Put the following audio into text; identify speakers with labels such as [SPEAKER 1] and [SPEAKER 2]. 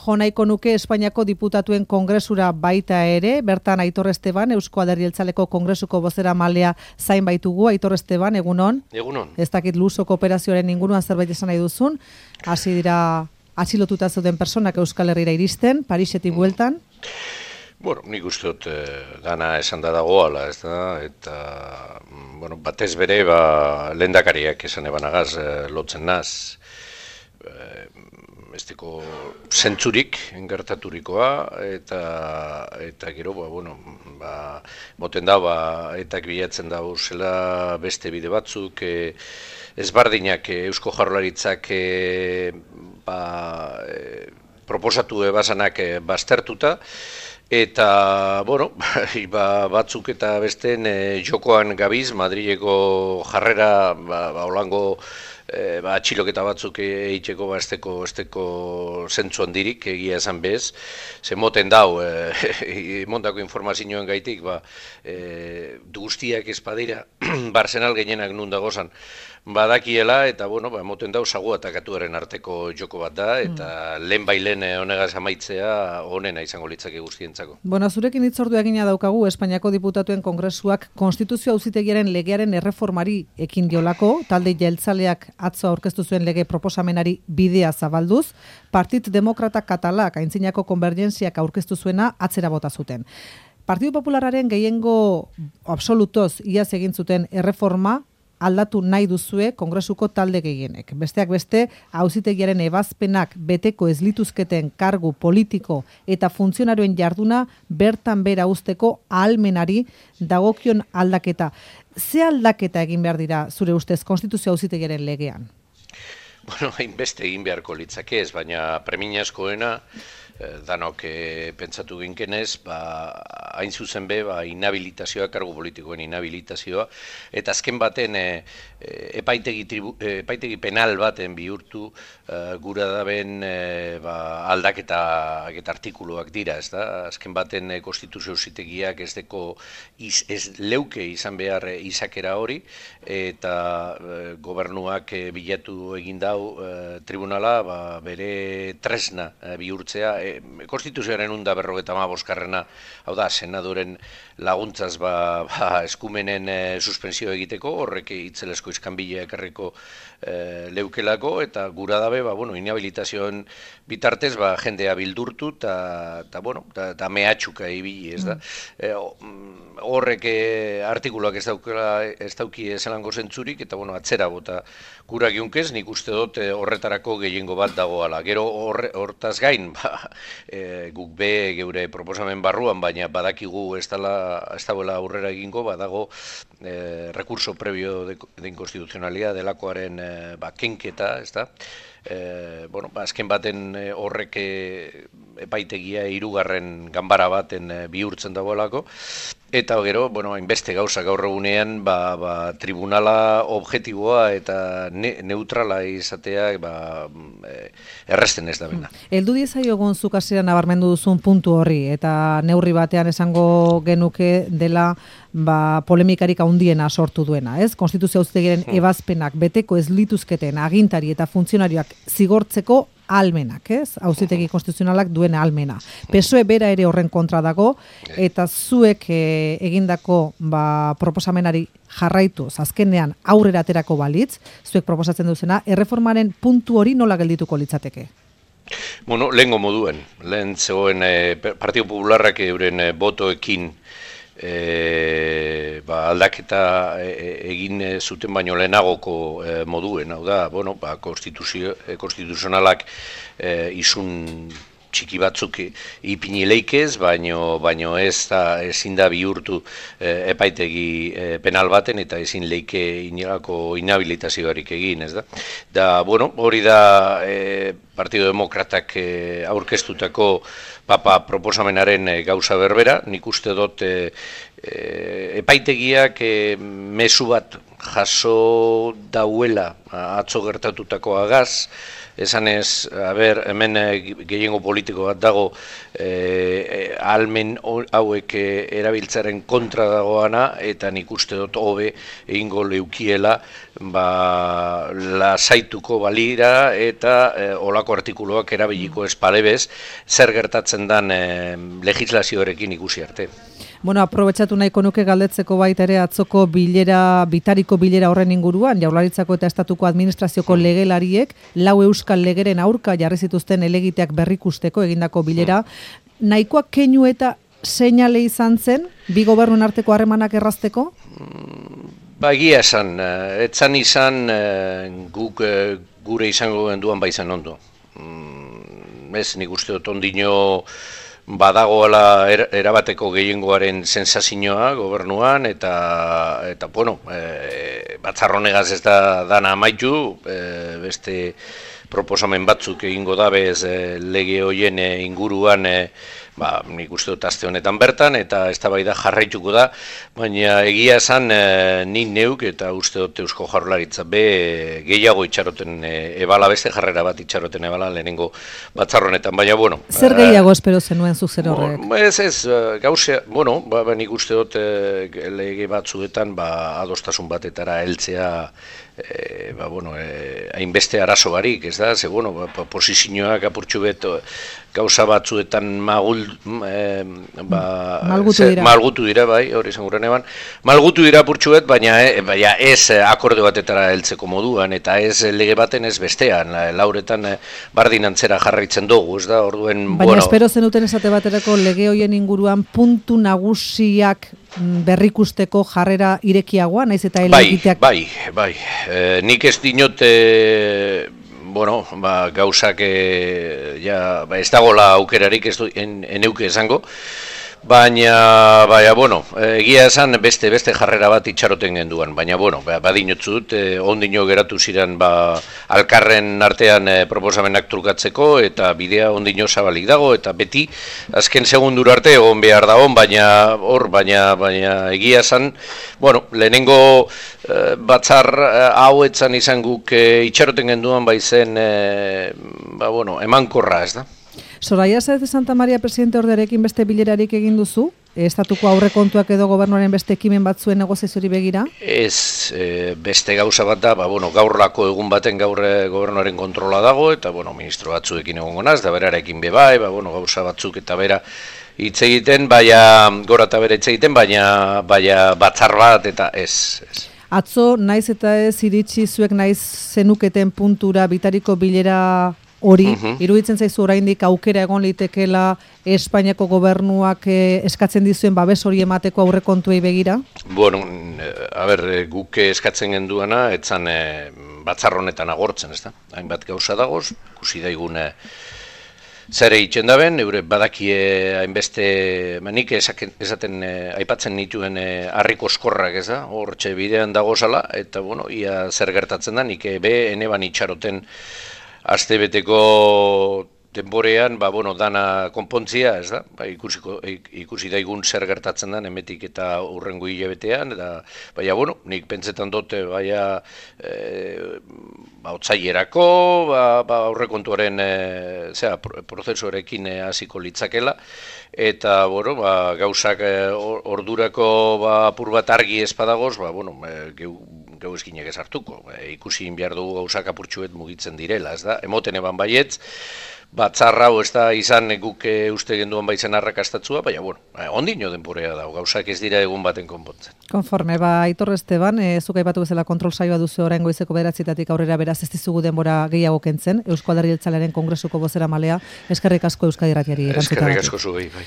[SPEAKER 1] Jo nahiko nuke Espainiako diputatuen kongresura baita ere, bertan Aitor Esteban, Eusko Alderdi Jeltzaleko kongresuko bozeramalea zain baitugu. Aitor Esteban, egunon?
[SPEAKER 2] Egunon.
[SPEAKER 1] Ez dakit Lusoko operazioaren inguruan zerbait esan nahi duzun, hasi dira atxilotuta zeuden personak Euskal Herrira iristen, Parisetik bueltan.
[SPEAKER 2] Bueno, nik uste dut dana esan da dagoala, ez da, eta batez bere lehendakariak esan ebanagaz lotzen naz, esteko zentzurik gertaturikoa, eta gero, moten da, etak bilatzen da zela beste bide batzuk, ezbardinak Eusko Jaurlaritzak proposatu ebazanak baztertuta, eta, batzuk eta besteen jokoan gabiz, Madrileko jarrera, holango atxiloketa batzuk egiteko esteko zentzu handirik egia esan bez, ze moten dau, montako informazioen gaitik, guztiak espadira, Barsenal gehienak nun dagozan, badakiela, eta, moten dau, sagu atakatuaren arteko joko bat da, eta lehen honegaz amaitzea honena izango litzake guztientzako.
[SPEAKER 1] Zurekin hitzordu egina daukagu Espainiako diputatuen kongresuak Konstituzio Auzitegiaren legearen erreformari ekin diolako, talde jeltzaleak atzo aurkeztu zuen lege proposamenari bidea zabalduz, Partit Demokrata Katalak aintzinako konbergentziak aurkeztu zuena atzera bota zuten. Partidu Popularraren gehiengo absolutoz iaz egin zuten erreforma aldatu nahi duzue kongresuko talde gehienek. Besteak beste, auzitegiaren ebazpenak beteko ez lituzketen kargu politiko eta funtzionarioen jarduna bertan bera uzteko ahalmenari dagokion aldaketa. Ze aldaketa egin behar dira zure ustez Konstituzio Auzitegiaren legean?
[SPEAKER 2] Hainbeste egin beharko litzake ez, baina premiazkoena danok pentsatu ginkenez, hain zuzen be, inhabilitazioa, kargu politikoen inhabilitazioa, eta azken baten epaitegi penal baten bihurtu gura daben aldaketa artikuluak dira, ez da? Azken baten Konstituzio Auzitegiak ez leuke izan behar izakera hori, eta gobernuak bilatu egin dau tribunala bere tresna bihurtzea, Konstituzioaren 155, hau da, senadoren laguntzaz eskumenen suspensio egiteko, horrek itzelesko iskanbila ekarriko leukelako, eta gura dabe, inhabilitazioen bitartez, jendea bildurtu, eta mehatxuka ibili, ez da. Horrek artikuluak ez dauki zelango zentzurik, eta atzera bota gura giunkez, nik uste dut horretarako gehiengo bat dagoala. Gero hortaz gain, guk be geure proposamen barruan, baina badakigu ez dagoela aurrera egingo, badago recurso previo de inconstitucionalidad delakoaren kenketa, ez da? Azken baten horrek epaitegia 3. ganbara baten bihurtzen dagoelako, eta gero, hainbeste gauza gaur egunean, tribunala objektiboa eta neutrala izatea erresten ez da bena.
[SPEAKER 1] Heldu diezaiogun zuk hasieran nabarmendu duzun puntu horri, eta neurri batean esango genuke dela polemikarik handiena sortu duena, ez? Konstituzio Auzitegiaren ebazpenak beteko ez lituzketen agintari eta funtzionarioak zigortzeko ahalmenak, ez? Auzitegi konstituzionalak duen ahalmena. PSOE bera ere horren kontra dago, eta zuek egindako proposamenari jarraituz, azkenean aurrera aterako balitz, zuek proposatzen duzena, erreformaren puntu hori nola geldituko litzateke?
[SPEAKER 2] Lehengo moduen, lehen zegoen Partidu Popularrak euren botoekin aldaketa egin zuten baino lehenagoko moduen, hau da, konstituzionalak izun txiki batzuk ipini leikez, baino ezin da bihurtu epaitegi penal baten eta ezin leike inolako inhabilitazioarik egin, ez da? Hori da Partido Demokratak aurkeztutako proposamenaren gauza berbera, nik uste dut epaitegiak mezu bat jaso dauela atzo gertatutakoagaz, esanez, hemen gehiengo politiko bat dago ahalmen hauek erabiltzaren kontra dagoana, eta nik uste dut hobe egingo leukiela lasaituko balira eta olako artikuluak erabiliko espalebez zer gertatzen dan legislazioarekin ikusi arte.
[SPEAKER 1] Bueno, aprobetxatu nahiko nuke galdetzeko baita ere atzoko bitariko bilera horren inguruan, Jaurlaritzako eta Estatuko Administrazioko legelariek 4 euskal legeren aurka jarri zituzten helegiteak berrikusteko egindako bilera. Nahikoak keinu eta seinale izan zen, bi gobernuen arteko harremanak errazteko?
[SPEAKER 2] Egia esan, etzan izan guk gure izango genduan baizan ondo. Ez nik uste dut ondino badagoela erabateko gehiengoaren sensazioa gobernuan, eta bueno, batzarronegaz ez da dana amaitu, beste proposamen batzuk egingo dabez lege hoien inguruan, nik uste dut aste honetan bertan, eta eztabaida jarraituko da, baina egia esan ni neuk eta uste dut Eusko Jaurlaritza gehiago itxaroten ebala, beste jarrera bat itxaroten ebala lehenengo batzarronetan, baina bueno.
[SPEAKER 1] Zer gehiago espero zenuen zuk zer horrek?
[SPEAKER 2] Ez, gauzea, bueno, nik uste dut lege batzuetan adostasun batetara heltzea, hainbeste arazo barik, ez da, ze, bueno, posizioak apurtxu bet gauza batzuetan malgutu dira, bai, hori izan guren eban, malgutu dira apurtxu bet, baina ez akorde batetara heltzeko moduan, eta ez lege baten ez bestean, lauretan bardin antzera jarraitzen dugu, ez da, orduen,
[SPEAKER 1] baina espero zenuten esate baterako lege hoien inguruan puntu nagusiak berrikusteko jarrera irekiagoa, naiz eta helegiteak...
[SPEAKER 2] Bai, nik ez dinot, gauzak ez dagoela aukerarik ez eneuke esango, baina, egia esan beste jarrera bat itxaroten genduan, baina, badinotzut, ondino geratu ziren alkarren artean proposamenak trukatzeko, eta bidea ondino zabalik dago, eta beti, azken segundura arte egon behar da baina egia esan, lehenengo batzar hauetzan izan guk itxaroten genduan baizen, emankorra, ez da?
[SPEAKER 1] Soraya Sáez de Santa Maria presidente ordearekin beste bilerarik egin duzu? Estatuko aurrekontuak edo gobernuaren beste ekimen batzuen negoziaziori begira?
[SPEAKER 2] Ez, beste gauza bat da, gaurlako egun baten gaur gobernuaren kontrola dago, eta ministro batzuekin egongo naz, da berarekin bebai, gauza batzuk eta bera hitz egiten, gora eta bera hitz egiten, baina batzar bat eta ez.
[SPEAKER 1] Atzo, naiz eta ez iritsi zuek naiz zenuketen puntura bitariko bilera hori, iruditzen zaizu oraindik aukera egon litekela Espainiako gobernuak eskatzen dizuen babes hori emateko aurrekontuei begira?
[SPEAKER 2] Guk eskatzen genduana, etzan batzarronetan agortzen, ez da? Hainbat gauza dagoz, ikusi daigun zer egiten daben, badakie hainbeste, nik esaten aipatzen nituen harriko eskorrak, ez da? Hortxe bidean dagozala, eta ia zer gertatzen da, nik eneban itxaroten astebeteko denborean, dana konpontzia, ez da? Ikusi daigun zer gertatzen da, emetik eta hurrengo hilabetean, nik pentsetan dute, otsailerako, aurrekontuaren prozesuarekin hasiko litzakela, eta, gauzak ordurako apur bat argi espadagoz, geu eskinek ez hartuko. Ikusi behar dugu gauzak apurtxuet mugitzen direla, ez da? Emoten eban baietz, batzarra ez da izan guk uste genduan baitzen arrakastatzua, baina, ondino denborea dago, gauzak ez dira egun baten konpontzen.
[SPEAKER 1] Konforme, Aitor Esteban, zuk aipatu bezala kontrol saioa duzu orain goizeko 9:00 aurrera, beraz ez dizugu denbora gehiago kentzen, Eusko Alderdi Jeltzalearen Kongresuko bozeramalea, eskerrik asko Euskadi Irratiari erantzuteagatik.
[SPEAKER 2] Eskerrik asko zuei, bai.